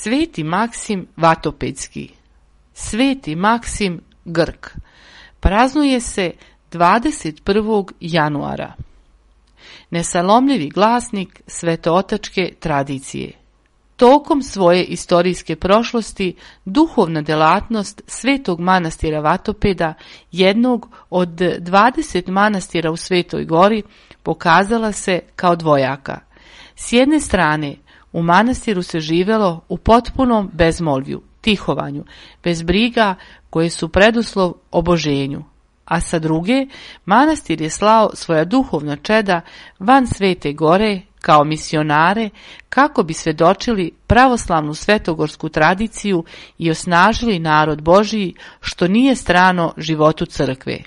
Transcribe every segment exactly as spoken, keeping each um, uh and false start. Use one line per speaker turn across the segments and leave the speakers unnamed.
Sveti Maksim Vatopedski. Sveti Maksim Grk. Praznuje se dvadeset prvog januara. Nesalomljivi glasnik svetootačke tradicije. Tokom svoje istorijske prošlosti, duhovna delatnost Svetog manastira Vatopeda, jednog od dvadeset manastira u Svetoj Gori, pokazala se kao dvojaka. S jedne strane, u manastiru se živelo u potpunom bezmolvju, tihovanju, bez briga koje su preduslov oboženju, a sa druge, manastir je slao svoja duhovna čeda van Svete Gore kao misionare kako bi svedočili pravoslavnu svetogorsku tradiciju i osnažili narod Božiji, što nije strano životu crkve.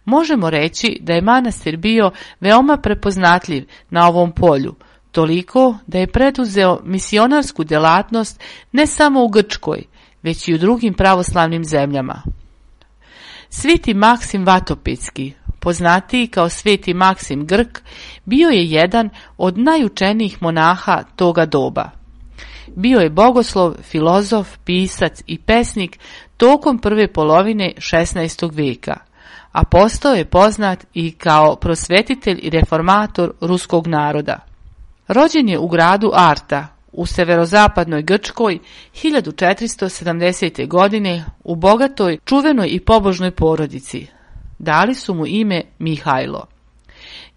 Možemo reći da je manastir bio veoma prepoznatljiv na ovom polju, toliko da je preduzeo misionarsku delatnost ne samo u Grčkoj, već i u drugim pravoslavnim zemljama. Sveti Maksim Vatopedski, poznatiji kao Sveti Maksim Grk, bio je jedan od najučenijih monaha toga doba. Bio je bogoslov, filozof, pisac i pesnik tokom prve polovine šesnaestog veka, a postao je poznat i kao prosvetitelj i reformator ruskog naroda. Rođen je u gradu Arta, u severozapadnoj Grčkoj, hiljadu četiristo sedamdesete. godine u bogatoj, čuvenoj i pobožnoj porodici. Dali su mu ime Mihajlo.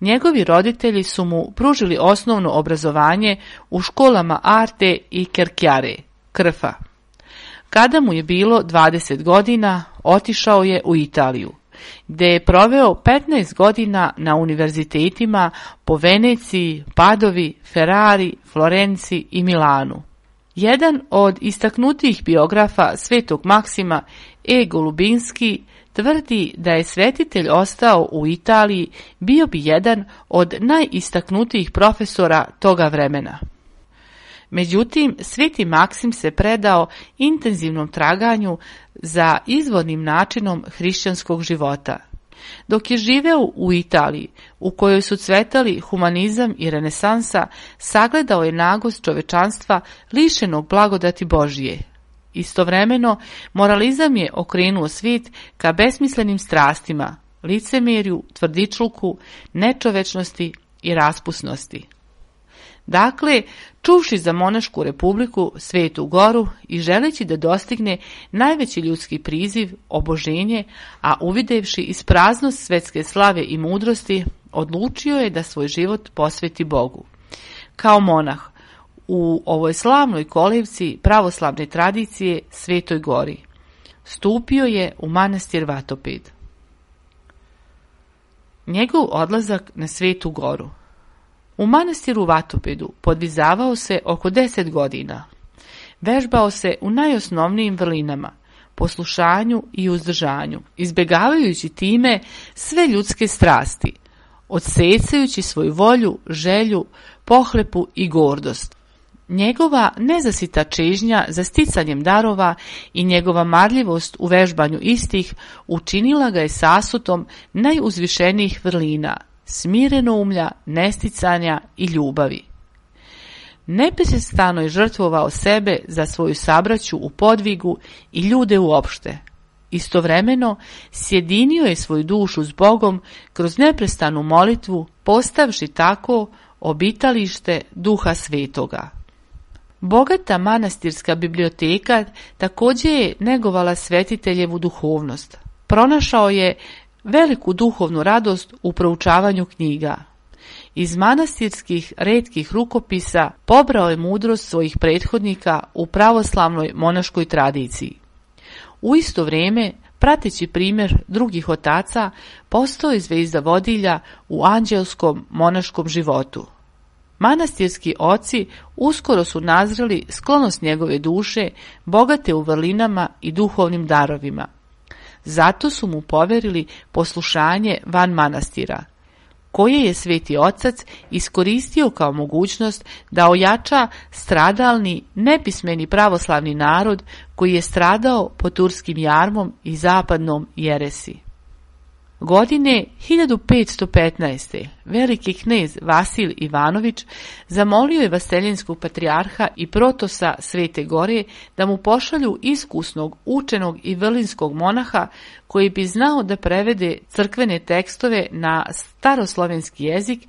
Njegovi roditelji su mu pružili osnovno obrazovanje u školama Arte i Kerkjare, Krfa. Kada mu je bilo dvadeset godina, otišao je u Italiju, gde je proveo petnaest godina na univerzitetima po Veneciji, Padovi, Ferrari, Florenciji i Milanu. Jedan od istaknutijih biografa Svetog Maksima, E. Golubinski, tvrdi da je svetitelj ostao u Italiji, bio bi jedan od najistaknutijih profesora toga vremena. Međutim, Sveti Maksim se predao intenzivnom traganju za izvornim načinom hrišćanskog života. Dok je živeo u Italiji, u kojoj su cvetali humanizam i renesansa, sagledao je nagost čovečanstva lišenog blagodati Božije. Istovremeno, moralizam je okrenuo svijet ka besmislenim strastima, licemerju, tvrdičluku, nečovečnosti i raspusnosti. Dakle, čuvši za monašku republiku Svetu Goru i želeći da dostigne najveći ljudski priziv, oboženje, a uvidevši ispraznost svetske slave i mudrosti, odlučio je da svoj život posveti Bogu. Kao monah, u ovoj slavnoj kolevci pravoslavne tradicije Svetoj Gori, stupio je u manastir Vatoped. Njegov odlazak na Svetu Goru. U manastiru Vatopedu podvizavao se oko deset godina. Vežbao se u najosnovnijim vrlinama, poslušanju i uzdržanju, izbjegavajući time sve ljudske strasti, odsecajući svoju volju, želju, pohlepu i gordost. Njegova nezasita čežnja za sticanjem darova i njegova marljivost u vežbanju istih učinila ga je sasutom najuzvišenijih vrlina, smirenoumlja, nesticanja i ljubavi. Neprestano je žrtvovao sebe za svoju sabraću u podvigu i ljude uopšte. Istovremeno sjedinio je svoju dušu s Bogom kroz neprestanu molitvu, postavši tako obitalište Duha Svetoga. Bogata manastirska biblioteka također je negovala svetiteljevu duhovnost. Pronašao je veliku duhovnu radost u proučavanju knjiga. Iz manastirskih retkih rukopisa pobrao je mudrost svojih prethodnika u pravoslavnoj monaškoj tradiciji. U isto vrijeme, prateći primjer drugih otaca, postao je zvezda vodilja u anđelskom monaškom životu. Manastirski oci uskoro su nazreli sklonost njegove duše, bogate u vrlinama i duhovnim darovima. Zato su mu poverili poslušanje van manastira, koje je Sveti Otac iskoristio kao mogućnost da ojača stradalni, nepismeni pravoslavni narod koji je stradao pod turskim jarmom i zapadnom jeresi. Godine hiljadu petsto petnaeste. veliki knez Vasil Ivanović zamolio je vaseljenskog patrijarha i protosa Svete Gore da mu pošalju iskusnog, učenog i vrlinskog monaha koji bi znao da prevede crkvene tekstove na staroslovenski jezik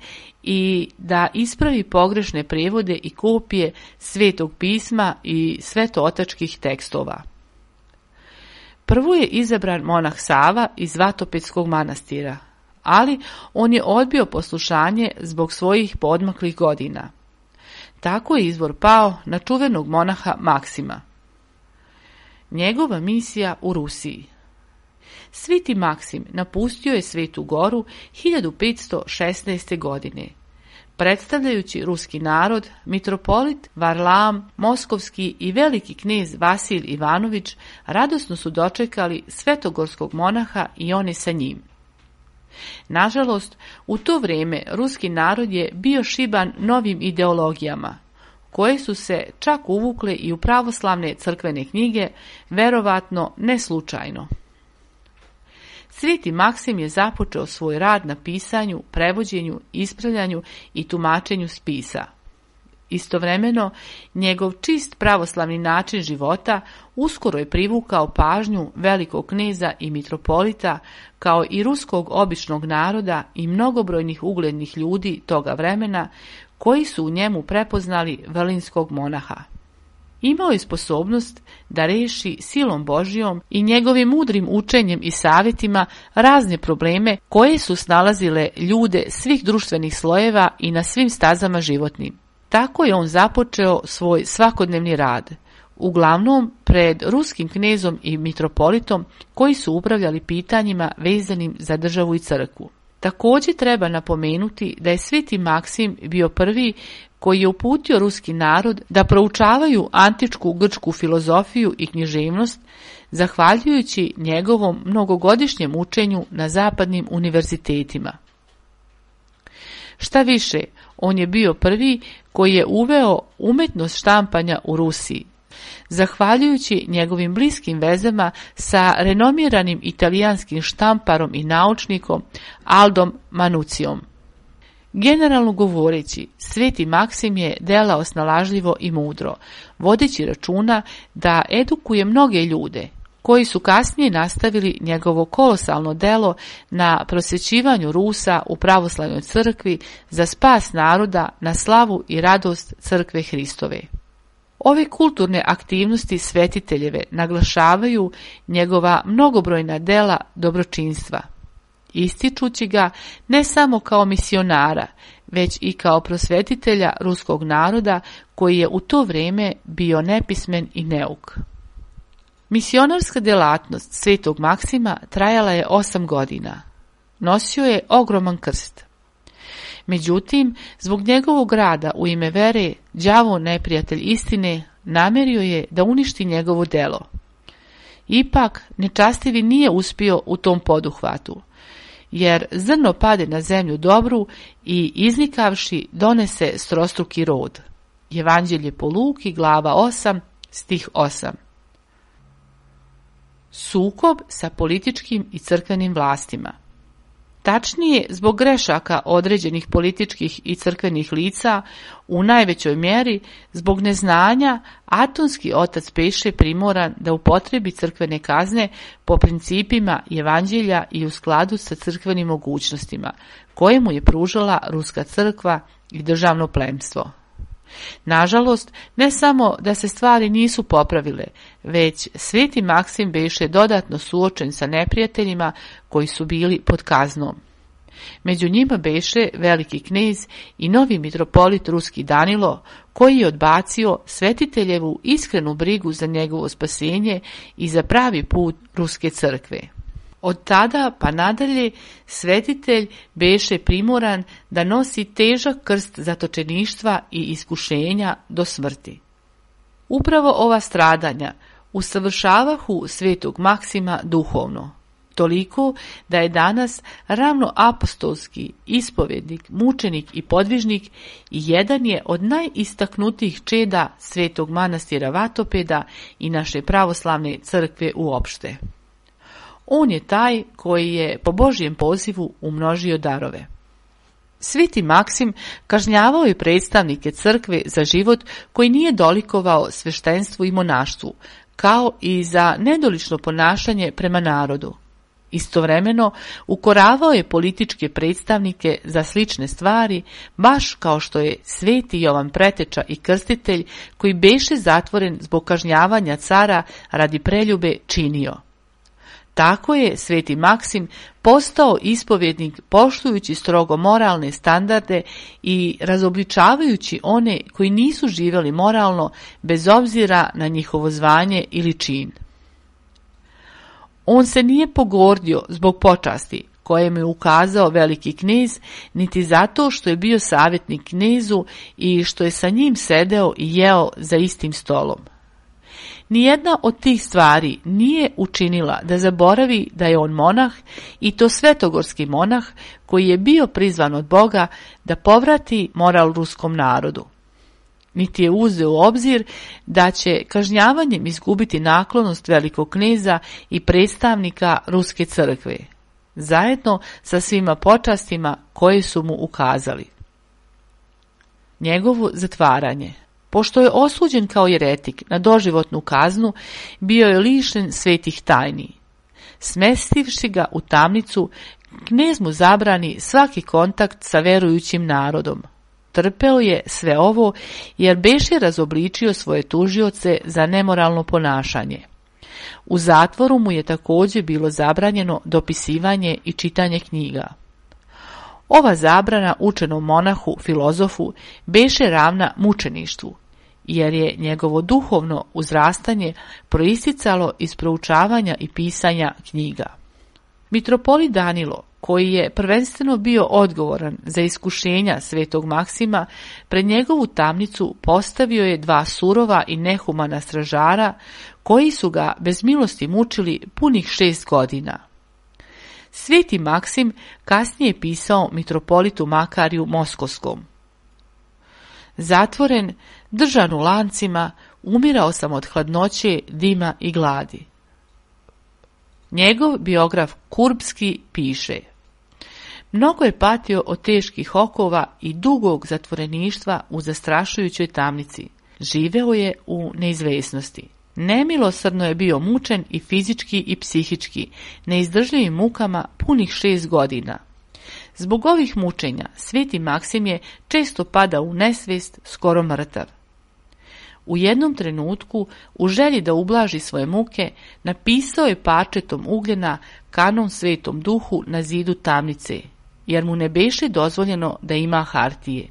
i da ispravi pogrešne prijevode i kopije Svetog pisma i svetootačkih tekstova. Prvo je izabran monah Sava iz Vatopedskog manastira, ali on je odbio poslušanje zbog svojih poodmaklih godina. Tako je izbor pao na čuvenog monaha Maksima. Njegova misija u Rusiji. Sveti Maksim napustio je Svetu Goru hiljadu petsto šesnaeste. godine. Predstavljajući ruski narod, mitropolit Varlam, moskovski i veliki knez Vasil Ivanović radosno su dočekali svetogorskog monaha i one sa njim. Nažalost, u to vrijeme ruski narod je bio šiban novim ideologijama, koje su se čak uvukle i u pravoslavne crkvene knjige, verovatno ne slučajno. Sveti Maksim je započeo svoj rad na pisanju, prevođenju, ispravljanju i tumačenju spisa. Istovremeno, njegov čist pravoslavni način života uskoro je privukao pažnju velikog kneza i mitropolita, kao i ruskog običnog naroda i mnogobrojnih uglednih ljudi toga vremena, koji su u njemu prepoznali vrlinskog monaha. Imao je sposobnost da reši silom Božjom i njegovim mudrim učenjem i savjetima razne probleme koje su snalazile ljude svih društvenih slojeva i na svim stazama životnim. Tako je on započeo svoj svakodnevni rad, uglavnom pred ruskim knezom i mitropolitom koji su upravljali pitanjima vezanim za državu i crkvu. Također treba napomenuti da je Sveti Maksim bio prvi koji je uputio ruski narod da proučavaju antičku grčku filozofiju i književnost, zahvaljujući njegovom mnogogodišnjem učenju na zapadnim univerzitetima. Šta više, on je bio prvi koji je uveo umetnost štampanja u Rusiji, zahvaljujući njegovim bliskim vezama sa renomiranim italijanskim štamparom i naučnikom Aldom Manucijom. Generalno govoreći, Sveti Maksim je delao snalažljivo i mudro, vodeći računa da edukuje mnoge ljude, koji su kasnije nastavili njegovo kolosalno delo na prosvećivanju Rusa u pravoslavnoj crkvi za spas naroda na slavu i radost crkve Hristove. Ove kulturne aktivnosti svetiteljeve naglašavaju njegova mnogobrojna dela dobročinstva, ističući ga ne samo kao misionara, već i kao prosvetitelja ruskog naroda koji je u to vrijeme bio nepismen i neuk. Misionarska djelatnost Svetog Maksima trajala je osam godina. Nosio je ogroman krst. Međutim, zbog njegovog rada u ime vere, đavo neprijatelj istine namerio je da uništi njegovo delo. Ipak, nečastivi nije uspio u tom poduhvatu, jer zrno pade na zemlju dobru i iznikavši donese strostruki rod. Evanđelje po Luki, glava osam, stih osam. Sukob sa političkim i crkvenim vlastima. Tačnije, zbog grešaka određenih političkih i crkvenih lica, u najvećoj mjeri, zbog neznanja, Atonski otac beše primoran da upotrebi crkvene kazne po principima Evanđelja i u skladu sa crkvenim mogućnostima, koje mu je pružala Ruska crkva i državno plemstvo. Nažalost, ne samo da se stvari nisu popravile, već Sveti Maksim beše dodatno suočen sa neprijateljima koji su bili pod kaznom. Među njima beše veliki knez i novi mitropolit ruski Danilo, koji je odbacio svetiteljevu iskrenu brigu za njegovo spasenje i za pravi put ruske crkve. Od tada pa nadalje svetitelj beše primoran da nosi težak krst zatočeništva i iskušenja do smrti. Upravo ova stradanja usavršavahu Svetog Maksima duhovno, toliko da je danas ravno apostolski ispovjednik, mučenik i podvižnik i jedan je od najistaknutijih čeda Svetog manastira Vatopeda i naše pravoslavne crkve uopšte. On je taj koji je po Božjem pozivu umnožio darove. Sveti Maksim kažnjavao je predstavnike crkve za život koji nije dolikovao sveštenstvu i monaštvu, kao i za nedolično ponašanje prema narodu. Istovremeno ukoravao je političke predstavnike za slične stvari, baš kao što je sveti Jovan Preteča i Krstitelj, koji beše zatvoren zbog kažnjavanja cara radi preljube, činio. Tako je sveti Maksim postao ispovjednik poštujući strogo moralne standarde i razobličavajući one koji nisu živjeli moralno bez obzira na njihovo zvanje ili čin. On se nije pogordio zbog počasti koje mu je ukazao veliki knez, niti zato što je bio savjetnik knezu i što je sa njim sedeo i jeo za istim stolom. Nijedna od tih stvari nije učinila da zaboravi da je on monah, i to svetogorski monah koji je bio prizvan od Boga da povrati moral ruskom narodu. Niti je uzeo u obzir da će kažnjavanjem izgubiti naklonost velikog kneza i predstavnika ruske crkve, zajedno sa svima počastima koje su mu ukazali. Njegovo zatvaranje. Pošto je osuđen kao jeretik na doživotnu kaznu, bio je lišen svetih tajni. Smestivši ga u tamnicu, knez mu zabrani svaki kontakt sa verujućim narodom. Trpeo je sve ovo jer beše razobličio svoje tužioce za nemoralno ponašanje. U zatvoru mu je također bilo zabranjeno dopisivanje i čitanje knjiga. Ova zabrana učenom monahu, filozofu, beše ravna mučeništvu, jer je njegovo duhovno uzrastanje proisticalo iz proučavanja i pisanja knjiga. Mitropolit Danilo, koji je prvenstveno bio odgovoran za iskušenja svetog Maksima, pred njegovu tamnicu postavio je dva surova i nehumana stražara, koji su ga bez milosti mučili punih šest godina. Sveti Maksim kasnije je pisao mitropolitu Makariju Moskovskom: zatvoren, držan u lancima, umirao sam od hladnoće, dima i gladi. Njegov biograf Kurbski piše: mnogo je patio od teških okova i dugog zatvoreništva u zastrašujućoj tamnici. Živeo je u neizvesnosti. Nemilosrdno je bio mučen i fizički i psihički, neizdržljivim mukama punih šest godina. Zbog ovih mučenja sveti Maksim je često padao u nesvijest, skoro mrtav. U jednom trenutku, u želji da ublaži svoje muke, napisao je parčetom ugljena kanon Svetom Duhu na zidu tamnice, jer mu ne beše dozvoljeno da ima hartije.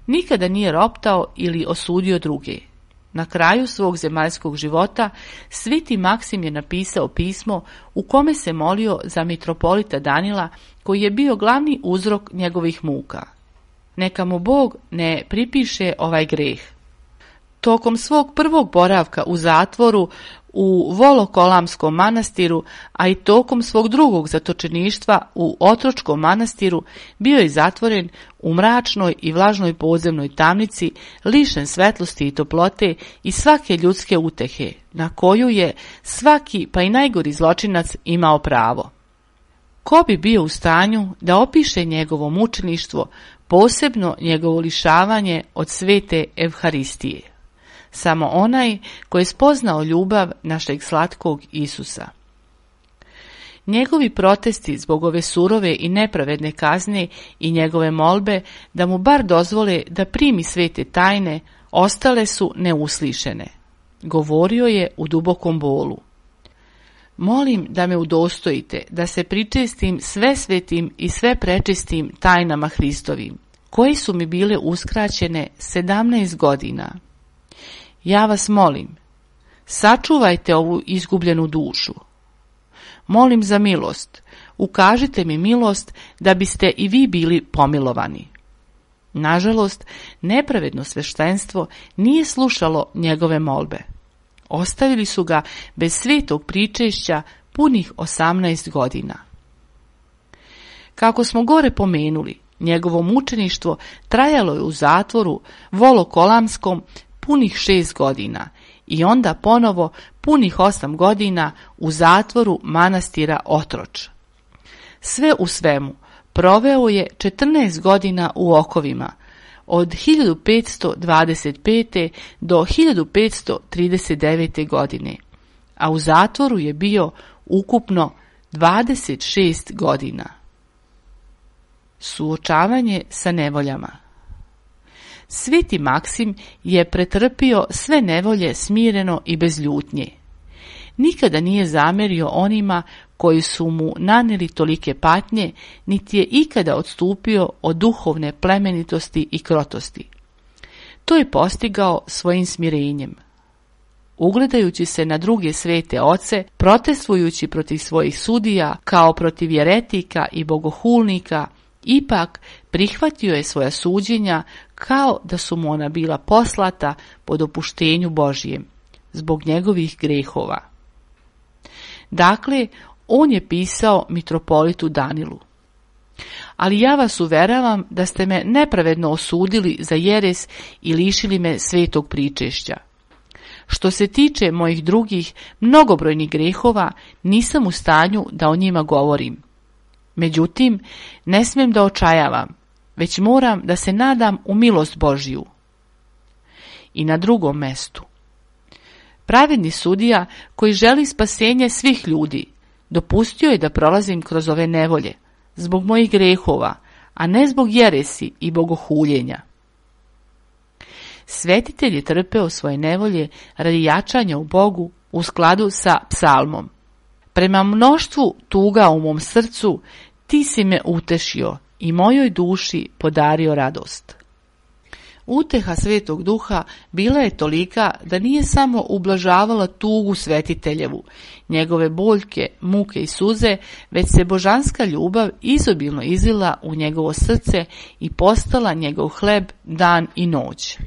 Nikada nije roptao ili osudio druge. Na kraju svog zemaljskog života sveti Maksim je napisao pismo u kome se molio za mitropolita Danila, koji je bio glavni uzrok njegovih muka. Neka mu Bog ne pripiše ovaj greh. Tokom svog prvog boravka u zatvoru u Volokolamskom manastiru, a i tokom svog drugog zatočeništva u Otročkom manastiru, bio je zatvoren u mračnoj i vlažnoj podzemnoj tamnici, lišen svetlosti i toplote i svake ljudske utehe, na koju je svaki, pa i najgori zločinac, imao pravo. Ko bi bio u stanju da opiše njegovo mučeništvo, posebno njegovo lišavanje od svete Evharistije? Samo onaj koji je spoznao ljubav našeg slatkog Isusa. Njegovi protesti zbog ove surove i nepravedne kazne i njegove molbe da mu bar dozvole da primi svete tajne, ostale su neuslišene. Govorio je u dubokom bolu: molim da me udostojite da se pričestim sve svetim i sve prečistim tajnama Hristovim, koje su mi bile uskraćene sedamnaest godina. Ja vas molim, sačuvajte ovu izgubljenu dušu. Molim za milost, ukažite mi milost da biste i vi bili pomilovani. Nažalost, nepravedno sveštenstvo nije slušalo njegove molbe. Ostavili su ga bez svetog pričešća punih osamnaest godina. Kako smo gore pomenuli, njegovo mučeništvo trajalo je u zatvoru Volokolamskom punih šest godina i onda ponovo punih osam godina u zatvoru manastira Otroč. Sve u svemu proveo je četrnaest godina u okovima, od hiljadu petsto dvadeset pete. do hiljadu petsto trideset devete. godine, a u zatvoru je bio ukupno dvadeset šest godina. Suočavanje sa nevoljama. Sveti Maksim je pretrpio sve nevolje smireno i bez ljutnje. Nikada nije zamerio onima koji su mu nanijeli tolike patnje, niti je ikada odstupio od duhovne plemenitosti i krotosti. To je postigao svojim smirenjem. Ugledajući se na druge svete oce, protestujući protiv svojih sudija kao protiv jeretika i bogohulnika, ipak prihvatio je svoja suđenja kao da su mu ona bila poslata po dopuštenju Božijem, zbog njegovih grehova. Dakle, on je pisao mitropolitu Danilu: ali ja vas uveravam da ste me nepravedno osudili za jeres i lišili me svetog pričešća. Što se tiče mojih drugih mnogobrojnih grehova, nisam u stanju da o njima govorim. Međutim, ne smijem da očajavam, već moram da se nadam u milost Božju. I na drugom mestu: pravedni sudija koji želi spasenje svih ljudi, dopustio je da prolazim kroz ove nevolje, zbog mojih grehova, a ne zbog jeresi i bogohuljenja. Svetitelj je trpeo svoje nevolje radi jačanja u Bogu u skladu sa psalmom: prema mnoštvu tuga u mom srcu, ti si me utešio i mojoj duši podario radost. Uteha Svetog Duha bila je tolika da nije samo ublažavala tugu svetiteljevu, njegove boljke, muke i suze, već se božanska ljubav izobilno izlila u njegovo srce i postala njegov hleb dan i noć.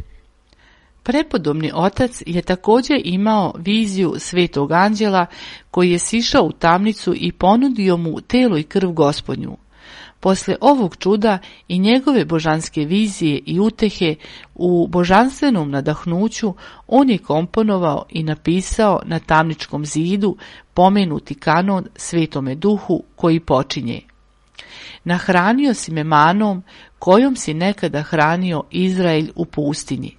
Prepodobni otac je također imao viziju svetog anđela koji je sišao u tamnicu i ponudio mu telo i krv Gospodnju. Posle ovog čuda i njegove božanske vizije i utehe u božanstvenom nadahnuću, on je komponovao i napisao na tamničkom zidu pomenuti kanon Svetome Duhu koji počinje: nahranio si me manom kojom si nekada hranio Izrael u pustinji.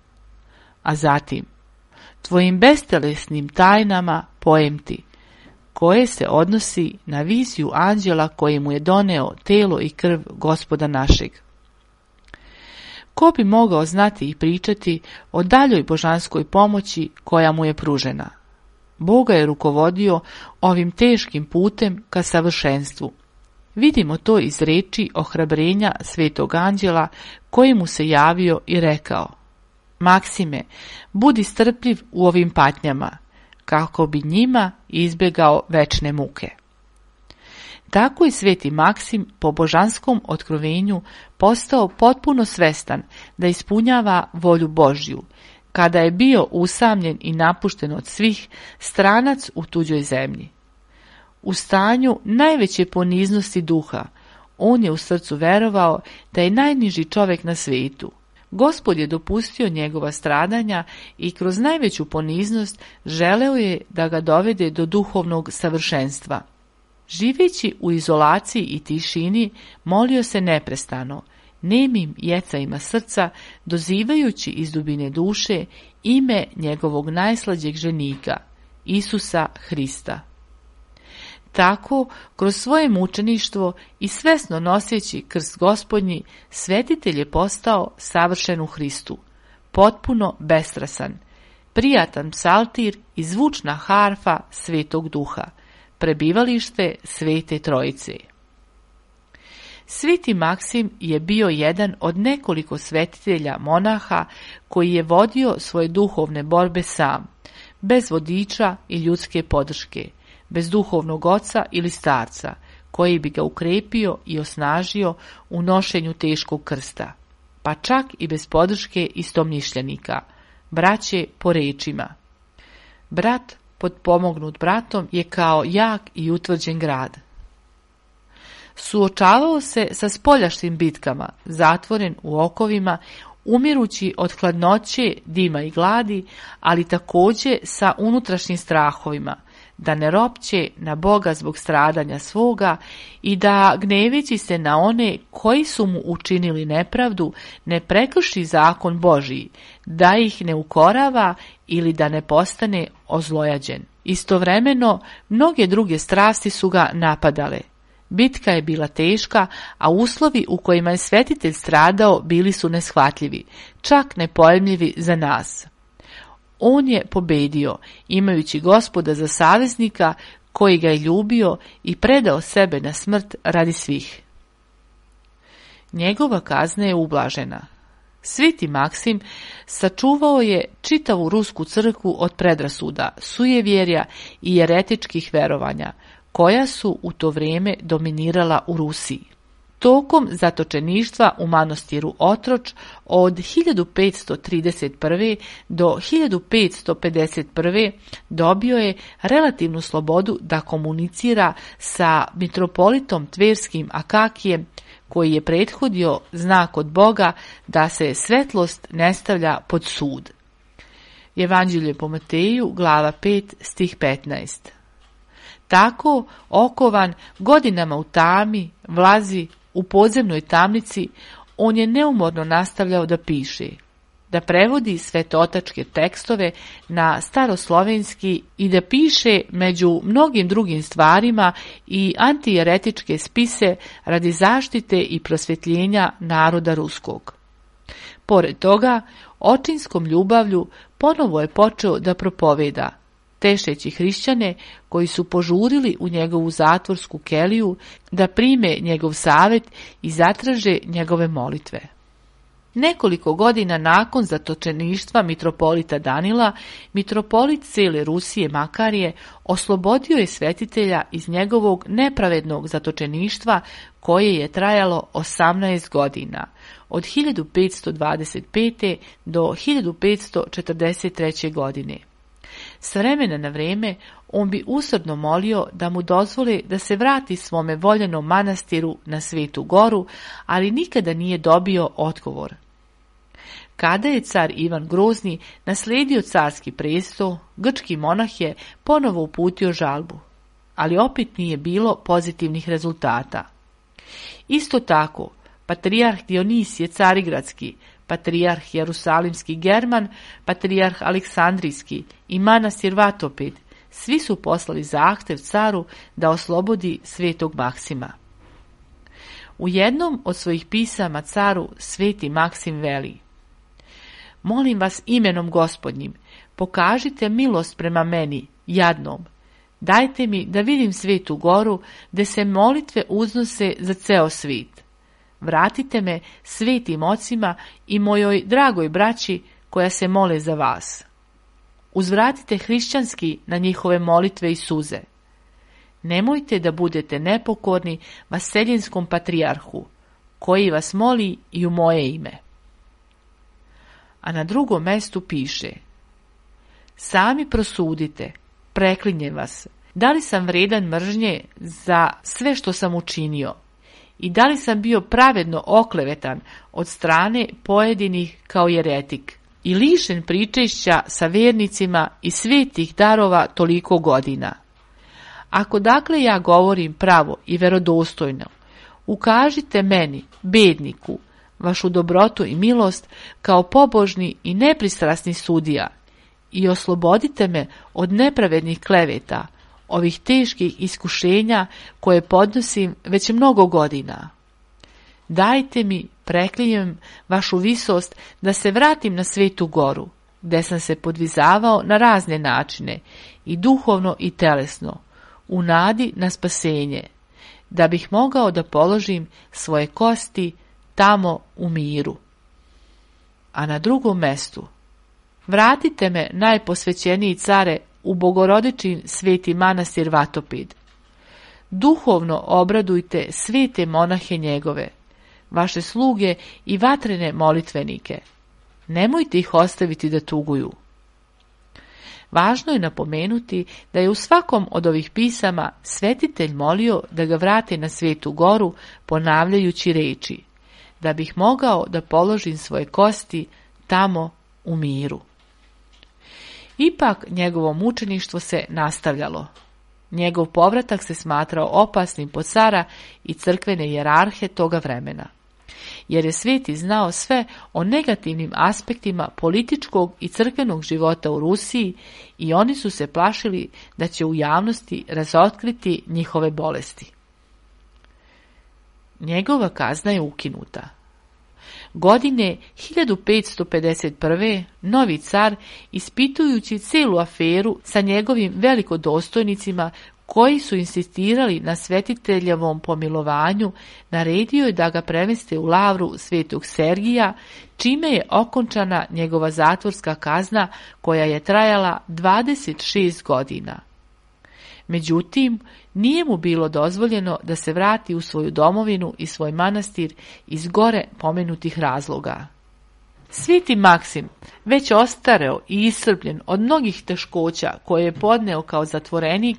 A zatim: tvojim bestelesnim tajnama pojem ti, koje se odnosi na viziju anđela koji mu je doneo telo i krv Gospoda našeg. Ko bi mogao znati i pričati o daljoj božanskoj pomoći koja mu je pružena? Boga je rukovodio ovim teškim putem ka savršenstvu. Vidimo to iz reči ohrabrenja svetog anđela koji mu se javio i rekao: Maksime, budi strpljiv u ovim patnjama, kako bi njima izbjegao večne muke. Tako je sveti Maksim po božanskom otkrovenju postao potpuno svestan da ispunjava volju Božju, kada je bio usamljen i napušten od svih, stranac u tuđoj zemlji. U stanju najveće poniznosti duha, on je u srcu verovao da je najniži čovjek na svijetu. Gospod je dopustio njegova stradanja i kroz najveću poniznost želeo je da ga dovede do duhovnog savršenstva. Živeći u izolaciji i tišini, molio se neprestano, nemim jecajima srca, dozivajući iz dubine duše ime njegovog najslađeg ženika, Isusa Hrista. Tako, kroz svoje mučeništvo i svesno noseći krst Gospodnji, svetitelj je postao savršen u Hristu, potpuno bestrasan, prijatan psaltir i zvučna harfa Svetog Duha, prebivalište Svete Trojice. Sveti Maksim je bio jedan od nekoliko svetitelja monaha koji je vodio svoje duhovne borbe sam, bez vodiča i ljudske podrške, bez duhovnog oca ili starca, koji bi ga ukrepio i osnažio u nošenju teškog krsta, pa čak i bez podrške istomišljenika, braće po rečima. Brat potpomognut bratom je kao jak i utvrđen grad. Suočavao se sa spoljašnjim bitkama, zatvoren u okovima, umirući od hladnoće, dima i gladi, ali također sa unutrašnjim strahovima, da ne ropće na Boga zbog stradanja svoga i da, gneveći se na one koji su mu učinili nepravdu, ne prekrši zakon Božiji, da ih ne ukorava ili da ne postane ozlojađen. Istovremeno, mnoge druge strasti su ga napadale. Bitka je bila teška, a uslovi u kojima je svetitelj stradao bili su neshvatljivi, čak nepojmljivi za nas. On je pobedio, imajući Gospoda za saveznika, koji ga je ljubio i predao sebe na smrt radi svih. Njegova kazna je ublažena. Sveti Maksim sačuvao je čitavu rusku crkvu od predrasuda, sujevjerja i jeretičkih verovanja, koja su u to vrijeme dominirala u Rusiji. Tokom zatočeništva u manastiru Otroč od hiljadu petsto trideset prve. do hiljadu petsto pedeset prve. dobio je relativnu slobodu da komunicira sa mitropolitom Tverskim Akakijem, koji je prethodio znak od Boga da se svetlost ne stavlja pod sud. Evanđelje po Mateju, glava pet, stih petnaest. Tako, okovan godinama u tami, vlazi u podzemnoj tamnici, on je neumorno nastavljao da piše, da prevodi svetotačke tekstove na staroslovenski i da piše među mnogim drugim stvarima i antijeretičke spise radi zaštite i prosvjetljenja naroda ruskog. Pored toga, očinskom ljubavlju ponovo je počeo da propoveda, tešeći hrišćane koji su požurili u njegovu zatvorsku keliju da prime njegov savjet i zatraže njegove molitve. Nekoliko godina nakon zatočeništva mitropolita Danila, mitropolit cijele Rusije Makarije oslobodio je svetitelja iz njegovog nepravednog zatočeništva koje je trajalo osamnaest godina, od hiljadu petsto dvadeset pete. do hiljadu petsto četrdeset treće. godine. S vremena na vrijeme on bi usrdno molio da mu dozvole da se vrati svome voljenom manastiru na Svetu Goru, ali nikada nije dobio odgovor. Kada je car Ivan Grozni naslijedio carski prestol, grčki monah je ponovo uputio žalbu, ali opet nije bilo pozitivnih rezultata. Isto tako, patrijarh Dionisije Carigradski, patrijarh Jerusalimski German, patrijarh Aleksandrijski i manastir Vatoped, svi su poslali zahtev caru da oslobodi svetog Maksima. U jednom od svojih pisama caru sveti Maksim veli: Molim vas imenom Gospodnjim, pokažite milost prema meni, jadnom. Dajte mi da vidim Svetu Goru, gde se molitve uznose za ceo svijet. Vratite me svetim ocima i mojoj dragoj braći koja se mole za vas. Uzvratite hrišćanski na njihove molitve i suze. Nemojte da budete nepokorni vaseljinskom patrijarhu, koji vas moli i u moje ime. A na drugom mestu piše: Sami prosudite, preklinjem vas, da li sam vredan mržnje za sve što sam učinio i da li sam bio pravedno oklevetan od strane pojedinih kao jeretik i lišen pričešća sa vernicima i svetih darova toliko godina. Ako dakle ja govorim pravo i verodostojno, ukažite meni, bedniku, vašu dobrotu i milost kao pobožni i nepristrasni sudija i oslobodite me od nepravednih kleveta, ovih teških iskušenja koje podnosim već mnogo godina. Dajte mi, preklinjem, vašu visost da se vratim na Svetu Goru, gde sam se podvizavao na razne načine, i duhovno i telesno, u nadi na spasenje, da bih mogao da položim svoje kosti tamo u miru. A na drugom mestu: Vratite me, najposvećeniji care, u Bogorodičin sveti manastir Vatoped. Duhovno obradujte svete monahe njegove, vaše sluge i vatrene molitvenike. Nemojte ih ostaviti da tuguju. Važno je napomenuti da je u svakom od ovih pisama svetitelj molio da ga vrate na Svetu Goru, ponavljajući reči: da bih mogao da položim svoje kosti tamo u miru. Ipak njegovo mučeništvo se nastavljalo. Njegov povratak se smatrao opasnim po cara i crkvene hijerarhe toga vremena, jer je sveti znao sve o negativnim aspektima političkog i crkvenog života u Rusiji i oni su se plašili da će u javnosti razotkriti njihove bolesti. Njegova kazna je ukinuta. Godine hiljadu petsto pedeset prve. novi car, ispitujući celu aferu sa njegovim velikodostojnicima koji su insistirali na svetiteljevom pomilovanju, naredio je da ga premeste u lavru svetog Sergija, čime je okončana njegova zatvorska kazna koja je trajala dvadeset šest godina. Međutim, nije mu bilo dozvoljeno da se vrati u svoju domovinu i svoj manastir iz gore pomenutih razloga. Sveti Maksim, već ostareo i iscrpljen od mnogih teškoća koje je podneo kao zatvorenik,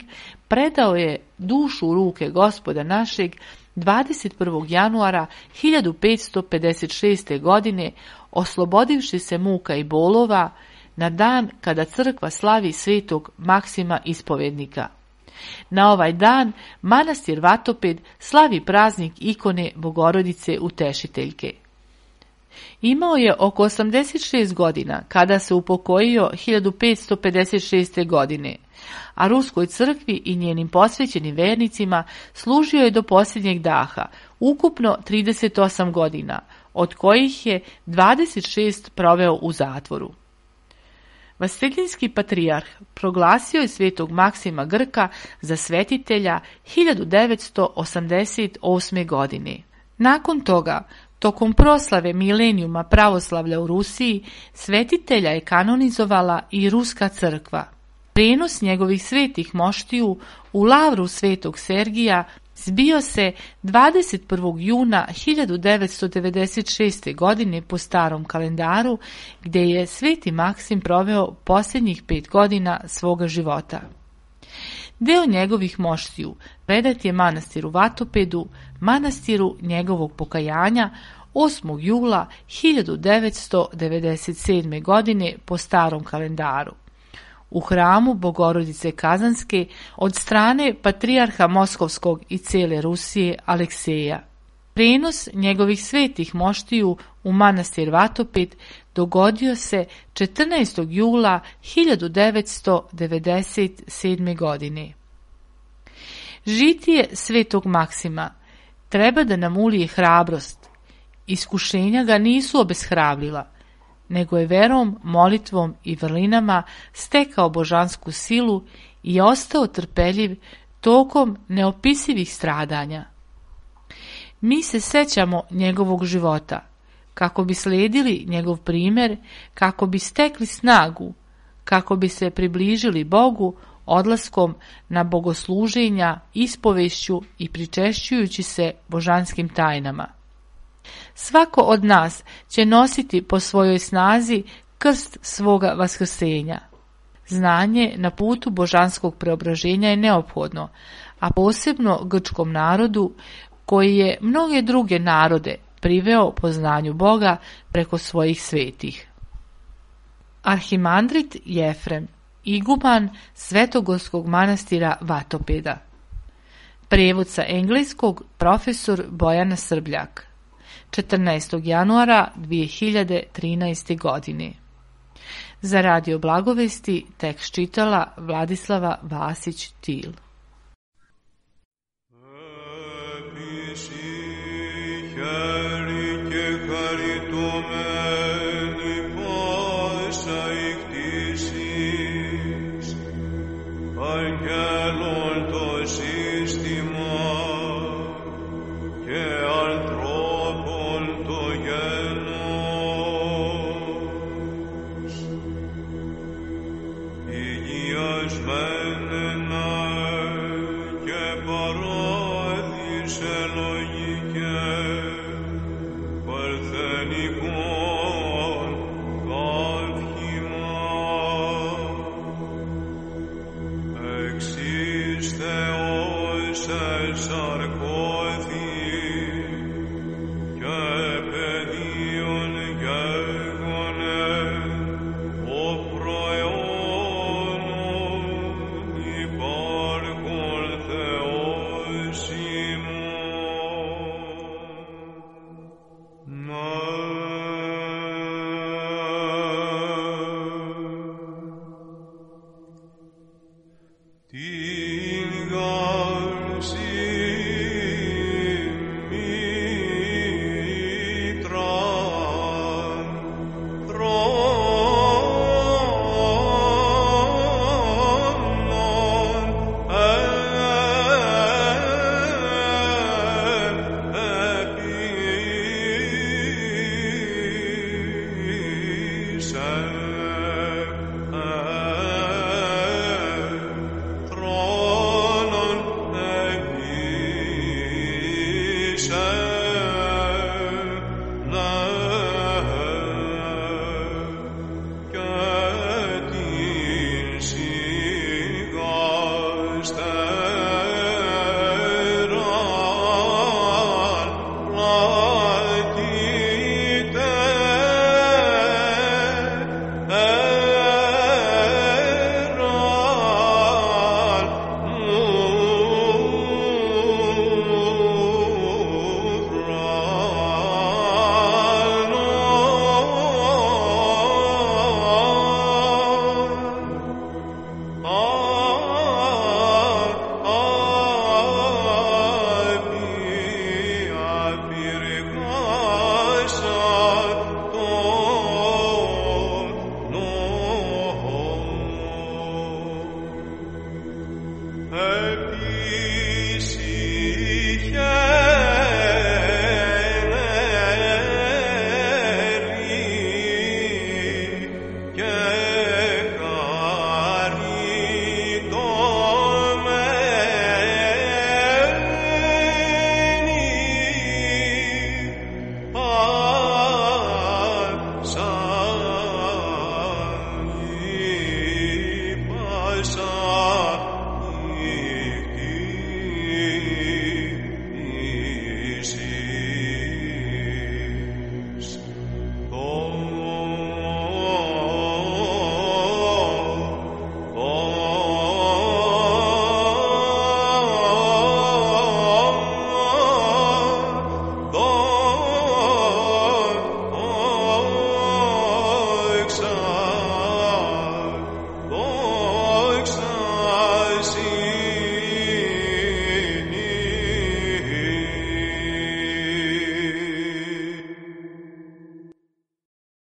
predao je dušu u ruke Gospoda našeg dvadeset prvog januara hiljadu petsto pedeset šeste. godine, oslobodivši se muka i bolova na dan kada crkva slavi svetog Maksima ispovednika. Na ovaj dan manastir Vatoped slavi praznik ikone Bogorodice Utešiteljke. Imao je oko osamdeset šest godina kada se upokojio hiljadu petsto pedeset šeste. godine, a Ruskoj crkvi i njenim posvećenim vernicima služio je do posljednjeg daha, ukupno trideset osam godina, od kojih je dvadeset šest proveo u zatvoru. Vaseljinski patrijarh proglasio je svetog Maksima Grka za svetitelja hiljadu devetsto osamdeset osme. godine. Nakon toga, tokom proslave milenijuma pravoslavlja u Rusiji, svetitelja je kanonizovala i Ruska crkva. Prenos njegovih svetih moštiju u lavru svetog Sergija zbio se dvadeset prvog juna hiljadu devetsto devedeset šeste. godine po starom kalendaru, gdje je sveti Maksim proveo posljednjih pet godina svoga života. Deo njegovih moštiju predat je manastiru Vatopedu, manastiru njegovog pokajanja, osmog jula hiljadu devetsto devedeset sedme. godine po starom kalendaru, u hramu Bogorodice Kazanske od strane patrijarha Moskovskog i cijele Rusije Alekseja. Prenos njegovih svetih moštiju u manastir Vatoped dogodio se četrnaestog jula hiljadu devetsto devedeset sedme. godine. Žitije svetog Maksima treba da nam ulije hrabrost. Iskušenja ga nisu obeshrabrila, nego je verom, molitvom i vrlinama stekao božansku silu i ostao trpeljiv tokom neopisivih stradanja. Mi se sećamo njegovog života, kako bi slijedili njegov primjer, kako bi stekli snagu, kako bi se približili Bogu odlaskom na bogosluženja, ispovešću i pričešćujući se božanskim tajnama. Svako od nas će nositi po svojoj snazi krst svoga vaskrsenja. Znanje na putu božanskog preobraženja je neophodno, a posebno grčkom narodu koji je mnoge druge narode priveo poznanju Boga preko svojih svetih. Arhimandrit Jefrem, iguman Svetogorskog manastira Vatopeda. Prijevod sa engleskog profesor Bojana Srbljak. četrnaestog januara dvije hiljade trinaeste. godine. Za Radio Blagovesti tekst čitala Vladislava Vasić-Til.
Existe os el sarcófago